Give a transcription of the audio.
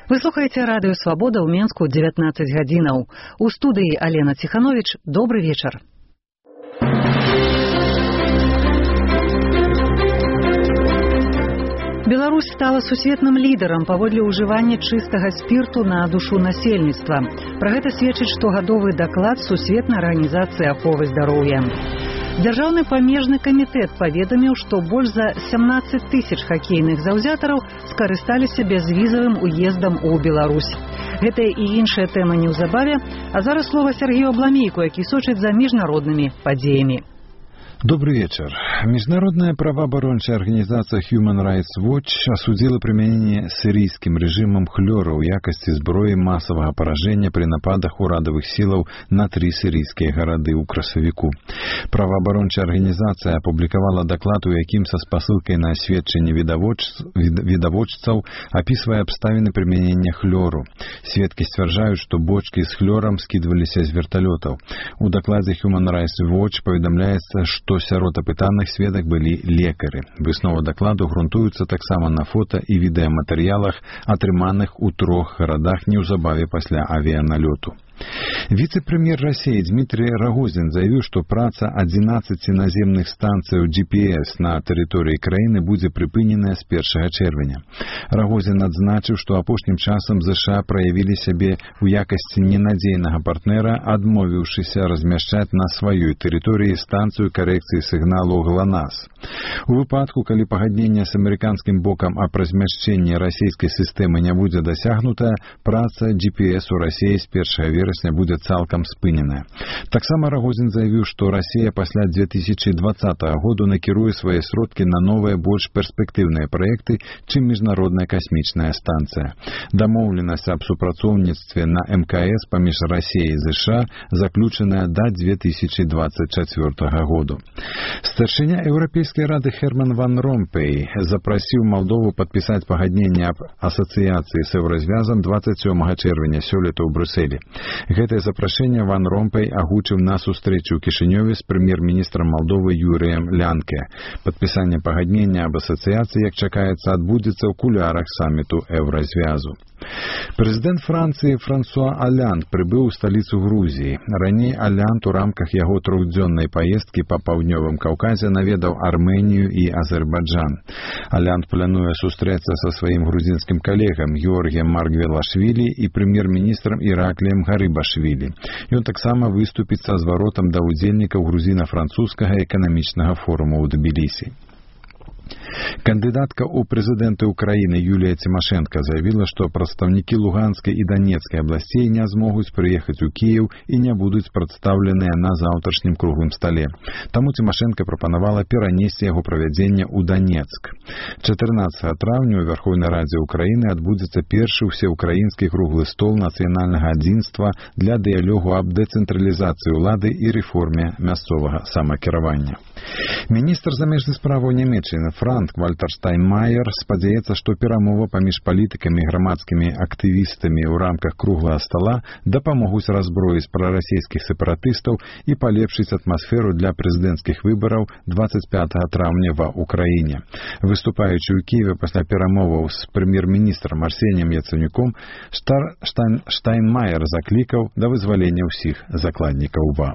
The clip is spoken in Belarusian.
Вы слухаеце радыё «Свабода» ў Менску 19 гадзінаў. У студыі Алена Ціхановіч. Добры вечар. Беларусь стала сусветным лідарам паводле ўжывання чыстага спірту на душу насельніцтва. Пра гэта сведчыць штогадовы даклад Сусветнай арганізацыі аховы здароўя. Дзяржаўны памежны камітэт паведаміў, што больш за 17 тысяч хакейных заўзятараў скарысталіся бязвізавым уездам у Беларусь. Гэтая і іншая тэма неўзабаве, а зараз слова Сергею Абламейку, які сочыць за міжнароднымі падзеямі. Добрый вечер. Международная правооборонная организация Human Rights Watch осудила применение сирийским режимом хлора в якости зброи массового поражения при нападах урадовых сил на 3 сирийские города у красавіку. Правооборонная организация опубликовала доклад, у яким со спасылкой на сведчанне видоводцаў описывая обставины применения хлору. Сведки ствярджаюць, что бочки с хлором скидывались из вертолетов. У докладе Human Rights Watch поведомляется, что сярод апытаных сведак былі лекары. Высновы дакладу грунтуюцца таксама на фота і відэаматэрыялах, атрыманых у 3 гарадах неўзабаве пасля авіяналёту. Вице-премьер России Дмитрий Рогозин заявил, что праца 11 наземных станций GPS на территории краины будет припыненная с 1 чэрвеня. Рогозин адзначыў, что апошнім часам США проявили себе в якости ненадзейнага партнера, адмовіўшыся размяшчаць на сваёй территории станцию коррекции сигналу ГЛОНАСС. У выпадку, калі пагадненне с американским боком о размяшчэнні российской системы не будет досягнута, праца GPS у России с 1 верасня будет цалкам спыненая. Таксама Рогозин заявил, что Россия после 2020 года накіруе свои сродки на новые, больш перспективные проекты, чем Международная космическая станция. Домовленность об супрацоўніцтве на МКС паміж Россией и США заключенная до 2024 года. Старшыня Европейской Рады Херман Ван Ромпей запросил Молдову подписать пагадненне об ассоциации с Еврозвязом 27 чэрвеня сёлета ў Брюсселе. Гэтае запрашэнне Ван Ромпей агучыў на сустрэчу ў Кішынёве з прэм'ер-міністрам Молдовы Юрыем Лянке. Падпісанне пагаднення об асацыяцыі, як чакаецца, адбудзецца ў кулярах саміту Еўразвязу. Прэзідэнт Францыі Франсуа Аллянд прыбыў у сталіцу Грузіі. Раней Аллянд у рамках яго 3-дзённай паездкі па паўднёвым Каўказе наведаў Армэнію і Азербайджан. Аллянд плануе сустрэцца са сваім грузінскім калегам Георгіем Маргвелашвілі і прэм'ер-міністрам Іракліем Гарыбашвілі. Ён таксама выступіць са зваротам да ўдзельнікаў грузіна-французскага эканамічнага форума ў Тбілісі. Кандидатка у президенты Украины Юлия Тимошенко заявила, что представники Луганской и Донецкой областей не смогут приехать у Киев и не будут представлены на завтрашнем круглым столе. Тому Тимошенко пропоновала перенести его проведение у Донецк. 14 травня у Верховной Раде Украины отбудется первый всеукраинский круглый стол национального единства для диалогу об децентрализации улады и реформе мясцового самокіравання. Министр замежных справ Нямецчыны Франк Вальтер Штайнмаер спадзяецца, што перамовы паміж палітыкамі і грамадскімі актывістамі ў рамках круглага стола дапамогуць раззброіць прарасійскіх сепаратыстаў і палепшыць атмасферу для прэзідэнцкіх выбараў 25 траўня ва Ўкраіне. Выступаючы ў Кіеве пасля перамоваў з прэм'ер-міністрам Арсеніем Яцэнюком, Штайнмаер заклікаў да вызвалення ўсіх закладнікаў ва